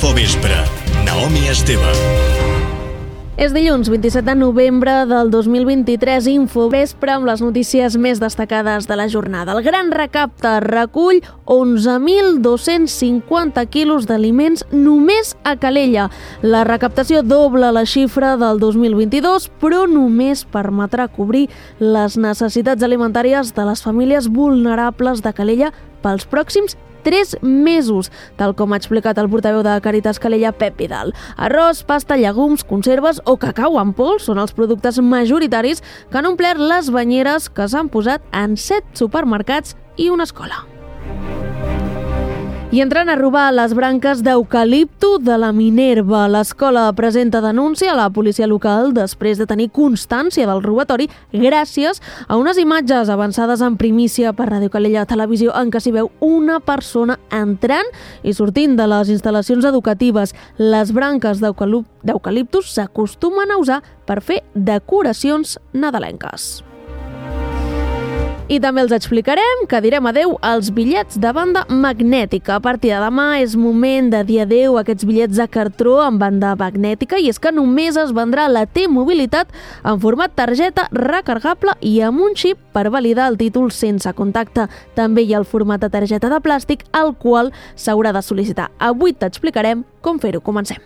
Infovespre. Naomi Esteve. És dilluns 27 de novembre del 2023, Infovespre amb les notícies més destacades de la jornada. El Gran Recapte recull 11.250 quilos d'aliments només a Calella. La recaptació dobla la xifra del 2022, però només permetrà cobrir les necessitats alimentàries de les famílies vulnerables de Calella pels pròxims 3 mesos, tal com ha explicat el portaveu de Càritas Calella, Pep Vidal. Arròs, pasta, llegums, conserves o cacau en pols són els productes majoritaris que han omplert les banyeres que s'han posat en 7 supermercats i una escola. I entrant a robar les branques d'eucalipto de la Minerva. L'escola presenta denúncia a la policia local després de tenir constància del robatori gràcies a unes imatges avançades en primícia per Ràdio Calella Televisió en què s'hi veu una persona entrant i sortint de les instal·lacions educatives. Les branques d'eucaliptus s'acostumen a usar per fer decoracions nadalenques. I també els explicarem que direm adeu als bitllets de banda magnètica. A partir de demà és moment de dir adeu a aquests bitllets de cartró amb banda magnètica, i és que només es vendrà la T-Mobilitat en format targeta recargable i amb un xip per validar el títol sense contacte. També hi ha el format de targeta de plàstic, al qual s'haurà de sol·licitar. Avui t'explicarem com fer-ho. Comencem.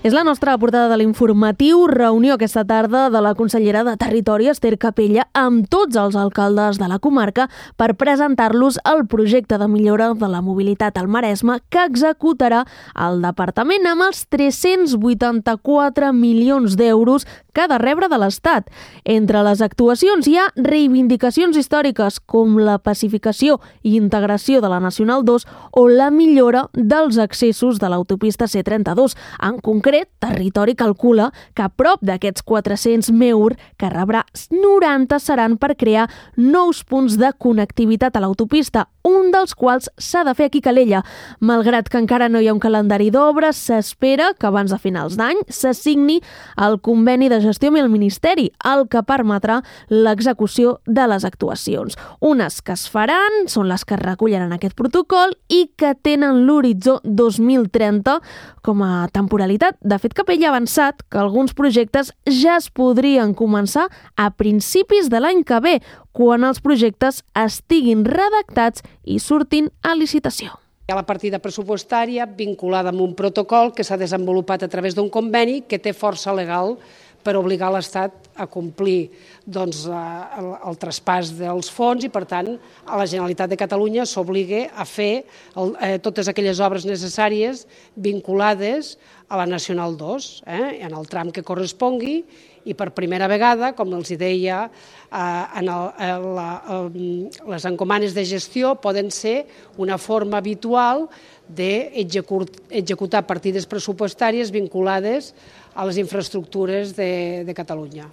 És la nostra portada de l'informatiu. Reunió aquesta tarda de la consellera de Territori, Ester Capella, amb tots els alcaldes de la comarca per presentar-los el projecte de millora de la mobilitat al Maresme que executarà el departament amb els 384 milions d'euros que ha de rebre de l'Estat. Entre les actuacions hi ha reivindicacions històriques com la pacificació i integració de la Nacional 2 o la millora dels accessos de l'autopista C32. En concret, Territori calcula que prop d'aquests 400 MeUR que rebrà, 90 seran per crear nous punts de connectivitat a l'autopista, un dels quals s'ha de fer aquí a Calella. Malgrat que encara no hi ha un calendari d'obres, s'espera que abans de finals d'any se signi el conveni de gestió amb el Ministeri, el que permetrà l'execució de les actuacions. Unes que es faran són les que es recullen en aquest protocol i que tenen l'horitzó 2030 com a temporalitat. De fet, Capella ha avançat que alguns projectes ja es podrien començar a principis de l'any que ve, quan els projectes estiguin redactats i surtin a licitació. Hi ha la partida pressupostària vinculada amb un protocol que s'ha desenvolupat a través d'un conveni que té força legal per obligar l'Estat a complir el traspàs dels fons i, per tant, a la Generalitat de Catalunya s'obliga a fer totes aquelles obres necessàries vinculades a la Nacional 2, en el tram que correspongui, i per primera vegada, com els deia, les encomanes de gestió poden ser una forma habitual d'executar partides pressupostàries vinculades a les infraestructures de Catalunya.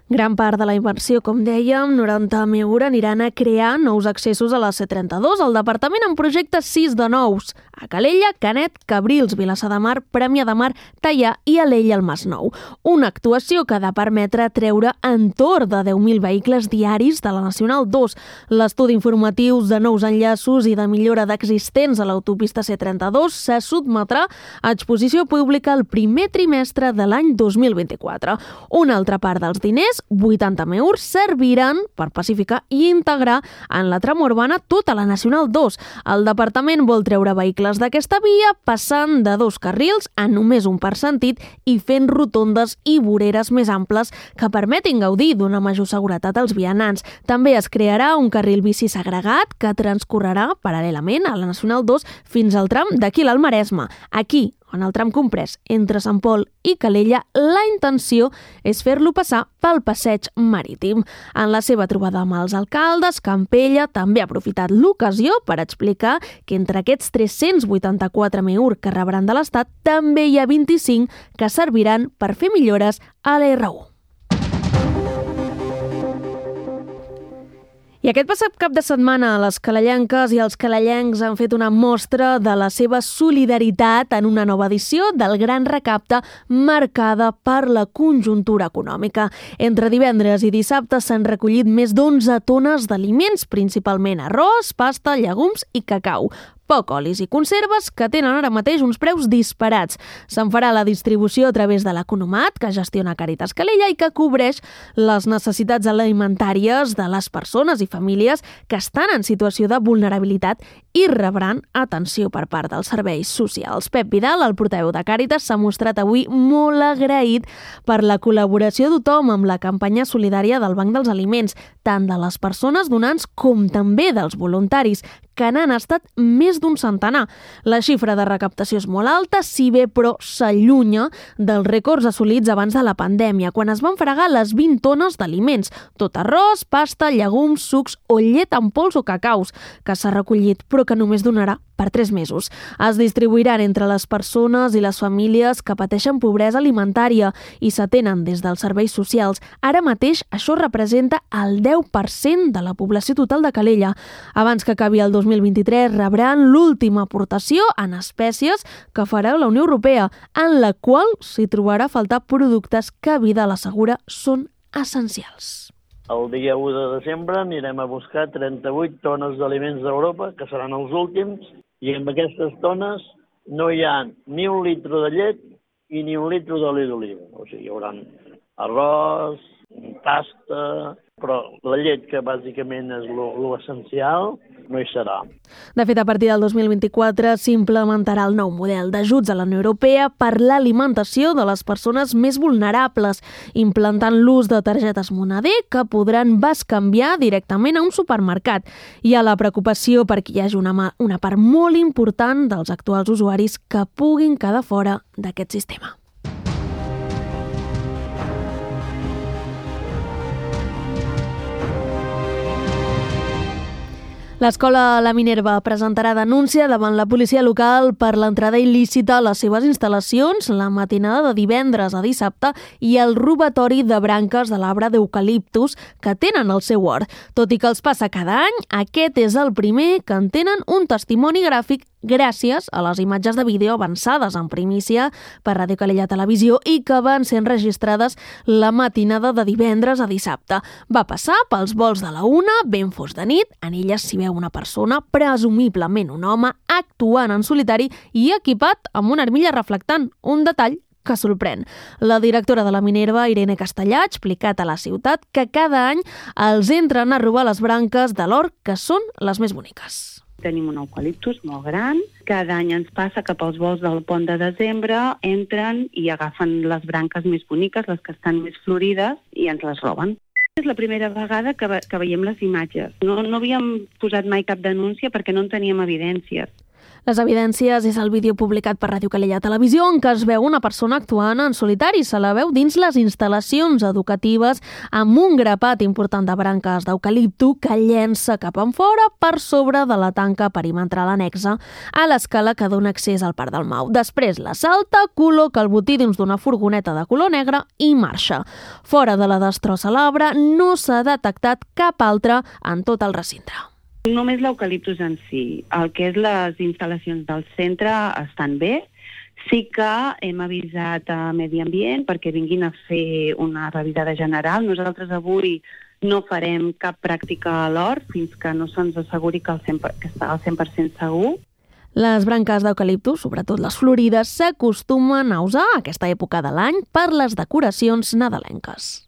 Gran part de la inversió, com dèiem, 90 MeUR, aniran a crear nous accessos a la C32. El departament en projecta 6 de nous, a Calella, Canet, Cabrils, Vilassar de Mar, Premià de Mar, Teià i Alella al Masnou. Una actuació que ha de permetre treure entorn de 10.000 vehicles diaris de la Nacional 2. L'estudi informatius de nous enllaços i de millora d'existents a l'autopista C32 se sotmetrà a exposició pública el primer trimestre de l'any 2024. Una altra part dels diners, 80 MeUR, serviran per pacificar i integrar en la trama urbana tota la Nacional 2. El departament vol treure vehicles d'aquesta via passant de 2 carrils a només un per sentit i fent rotondes i voreres més amples que permetin gaudir d'una major seguretat als vianants. També es crearà un carril bici segregat que transcorrerà paral·lelament a la Nacional 2 fins al tram d'aquí al Maresme. Aquí, en el tram comprès entre Sant Pol i Calella, la intenció és fer-lo passar pel passeig marítim. En la seva trobada amb els alcaldes, Campella també ha aprofitat l'ocasió per explicar que entre aquests 384 MeUR que rebran de l'Estat també hi ha 25 que serviran per fer millores a l'R1. I aquest passat cap de setmana les calellenques i els calellencs han fet una mostra de la seva solidaritat en una nova edició del Gran Recapte marcada per la conjuntura econòmica. Entre divendres i dissabte s'han recollit més d'11 tones d'aliments, principalment arròs, pasta, llegums i cacau. Poc olis i conserves que tenen ara mateix uns preus disparats. Se'n farà la distribució a través de l'Economat, que gestiona Càritas Calella i que cobreix les necessitats alimentàries de les persones i famílies que estan en situació de vulnerabilitat i rebran atenció per part dels serveis socials. Pep Vidal, el portaveu de Càritas, s'ha mostrat avui molt agraït per la col·laboració de tothom amb la campanya solidària del Banc dels Aliments, tant de les persones donants com també dels voluntaris, que n'han estat més d'un centenar. La xifra de recaptació és molt alta, si bé però s'allunya dels rècords assolits abans de la pandèmia, quan es van fregar les 20 tones d'aliments, tot arròs, pasta, llegums, sucs o llet en pols o cacaus, que s'ha recollit però que només donarà per 3 mesos. Es distribuiran entre les persones i les famílies que pateixen pobresa alimentària i s'atenen des dels serveis socials. Ara mateix això representa el 10% de la població total de Calella. Abans que acabi el 2023 rebran l'última aportació en espècies que farà la Unió Europea, en la qual s'hi trobarà a faltar productes que Vidal assegura són essencials. El dia 1 de desembre anirem a buscar 38 tones d'aliments d'Europa, que seran els últims, i amb aquestes tones no hi ha ni un litre de llet i ni un litre d'oli d'oliva. O sigui, hi haurà arròs, pasta, però la llet, que bàsicament és l'essencial, no hi serà. De fet, a partir del 2024 s'implementarà el nou model d'ajuts a la Unió Europea per l'alimentació de les persones més vulnerables, implantant l'ús de targetes moneder que podran bescanviar directament a un supermercat. Hi ha la preocupació perquè hi hagi una part molt important dels actuals usuaris que puguin quedar fora d'aquest sistema. L'escola La Minerva presentarà denúncia davant la policia local per l'entrada il·lícita a les seves instal·lacions la matinada de divendres a dissabte i el robatori de branques de l'arbre d'eucaliptus que tenen al seu hort. Tot i que els passa cada any, aquest és el primer que en tenen un testimoni gràfic gràcies a les imatges de vídeo avançades en primícia per Ràdio Calella Televisió i que van ser enregistrades la matinada de divendres a dissabte. Va passar pels volts de la 1, ben fos de nit, en elles s'hi veu una persona, presumiblement un home, actuant en solitari i equipat amb una armilla reflectant, un detall que sorprèn. La directora de la Minerva, Irene Castellà, ha explicat a la ciutat que cada any els entren a robar les branques de l'hort, que són les més boniques. Tenim un eucaliptus molt gran. Cada any ens passa que pels volts del pont de desembre entren i agafen les branques més boniques, les que estan més florides, i ens les roben. És la primera vegada que veiem les imatges. No havíem posat mai cap denúncia perquè no en teníem evidències. Les evidències és el vídeo publicat per Ràdio Calella Televisió en què es veu una persona actuant en solitari. Se la veu dins les instal·lacions educatives amb un grapat important de branques d'eucaliptu que llença cap enfora per sobre de la tanca perimetral anexa a l'escala que dona accés al Parc del Mau. Després la salta, col·loca el botí dins d'una furgoneta de color negre i marxa. Fora de la destrossa l'arbre no s'ha detectat cap altre en tot el recinte. Només l'eucaliptus en si. El que és les instal·lacions del centre estan bé. Sí que hem avisat a Medi Ambient perquè vinguin a fer una revisada general. Nosaltres avui no farem cap pràctica a l'hort fins que no se'ns asseguri que està al 100% segur. Les branques d'eucaliptus, sobretot les florides, s'acostumen a usar a aquesta època de l'any per les decoracions nadalenques.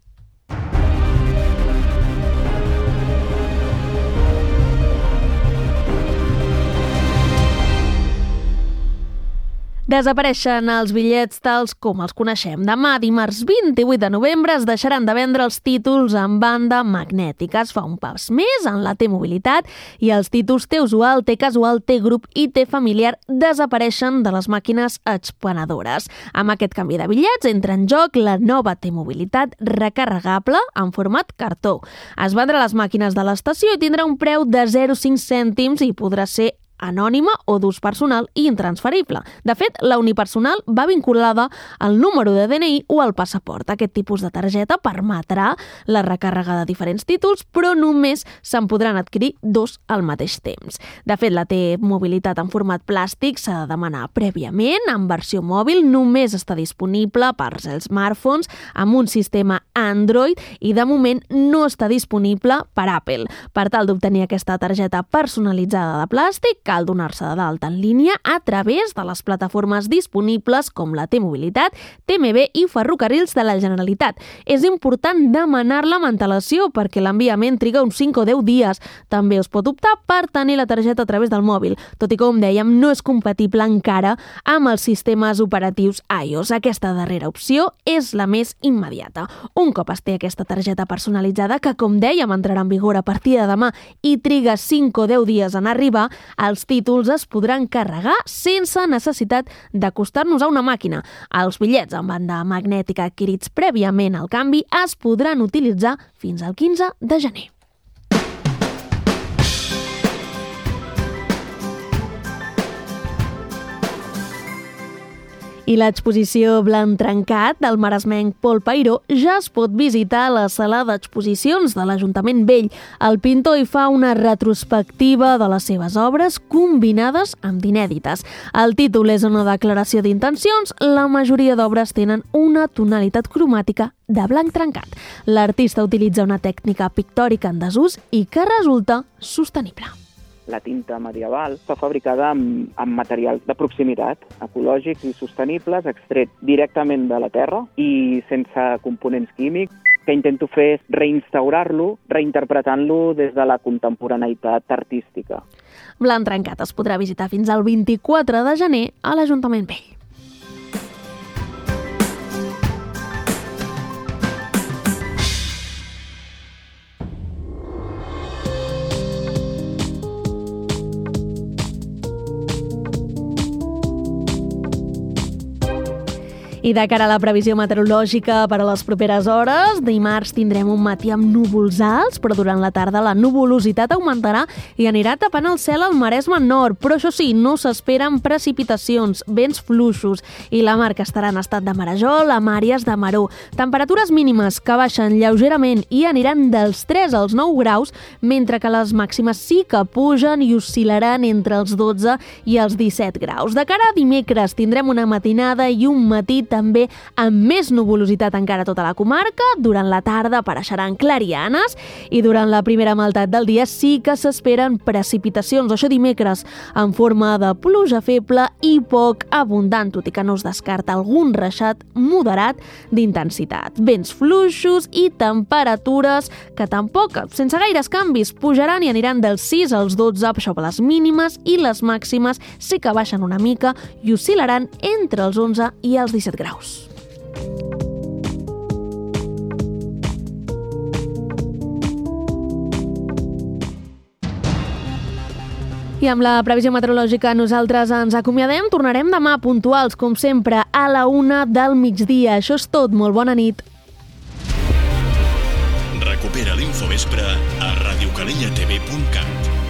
Desapareixen els bitllets tals com els coneixem. Demà, dimarts 28 de novembre, es deixaran de vendre els títols en banda magnètica. Es fa un pas més en la T-Mobilitat i els títols T-Usual, T-Casual, T-Grup i T-Familiar desapareixen de les màquines expenedores. Amb aquest canvi de bitllets entra en joc la nova T-Mobilitat recarregable en format cartó. Es vendrà a les màquines de l'estació i tindrà un preu de 0,5 cèntims i podrà ser anònima o d'ús personal i intransferible. De fet, la unipersonal va vinculada al número de DNI o al passaport. Aquest tipus de targeta permetrà la recàrrega de diferents títols, però només se'n podran adquirir 2 al mateix temps. De fet, la T-mobilitat en format plàstic s'ha de demanar prèviament. En versió mòbil només està disponible per als smartphones amb un sistema Android i de moment no està disponible per Apple. Per tal d'obtenir aquesta targeta personalitzada de plàstic, cal donar-se d'alta en línia a través de les plataformes disponibles com la T-mobilitat, TMB i Ferrocarrils de la Generalitat. És important demanar-la amb antelació perquè l'enviament triga uns 5 o 10 dies. També es pot optar per tenir la targeta a través del mòbil, tot i que, com dèiem, no és compatible encara amb els sistemes operatius iOS. Aquesta darrera opció és la més immediata. Un cop es té aquesta targeta personalitzada, que, com dèiem, entrarà en vigor a partir de demà i triga 5 o 10 dies en arribar, els títols es podran carregar sense necessitat d'acostar-nos a una màquina. Els bitllets amb banda magnètica adquirits prèviament al canvi es podran utilitzar fins al 15 de gener. I l'exposició Blanc trencat del maresmenc Pol Peiró ja es pot visitar a la sala d'exposicions de l'Ajuntament Vell. El pintor hi fa una retrospectiva de les seves obres combinades amb d'inèdites. El títol és una declaració d'intencions. La majoria d'obres tenen una tonalitat cromàtica de blanc trencat. L'artista utilitza una tècnica pictòrica en desús i que resulta sostenible. La tinta medieval està fabricada amb materials de proximitat, ecològics i sostenibles, extret directament de la terra i sense components químics. Que intento fer és reinstaurar-lo, reinterpretant-lo des de la contemporaneïtat artística. Blanc trencat es podrà visitar fins al 24 de gener a l'Ajuntament Vell. I de cara a la previsió meteorològica per a les properes hores, dimarts tindrem un matí amb núvols alts, però durant la tarda la nuvolositat augmentarà i anirà tapant el cel al Maresme nord. Però això sí, no s'esperen precipitacions, vents fluixos i la mar que estarà en estat de marejol amb àrees de maror. Temperatures mínimes que baixen lleugerament i aniran dels 3 als 9 graus, mentre que les màximes sí que pugen i oscil·laran entre els 12 i els 17 graus. De cara a dimecres tindrem una matinada i un matí també amb més nuvolositat encara a tota la comarca. Durant la tarda apareixeran clarianes i durant la primera meitat del dia sí que s'esperen precipitacions, això dimecres, en forma de pluja feble i poc abundant, tot i que no es descarta algun reixat moderat d'intensitat. Vents fluixos i temperatures que tampoc, sense gaires canvis, pujaran i aniran dels 6 als 12, això per les mínimes, i les màximes sí que baixen una mica i oscil·laran entre els 11 i els 17 graus. I amb la previsió meteorològica nosaltres ens acomiadem. Tornarem demà puntuals, com sempre, a la 1 del migdia. Això és tot. Molt bona nit. Recupera l'Infovespre a radiocalellatv.cat.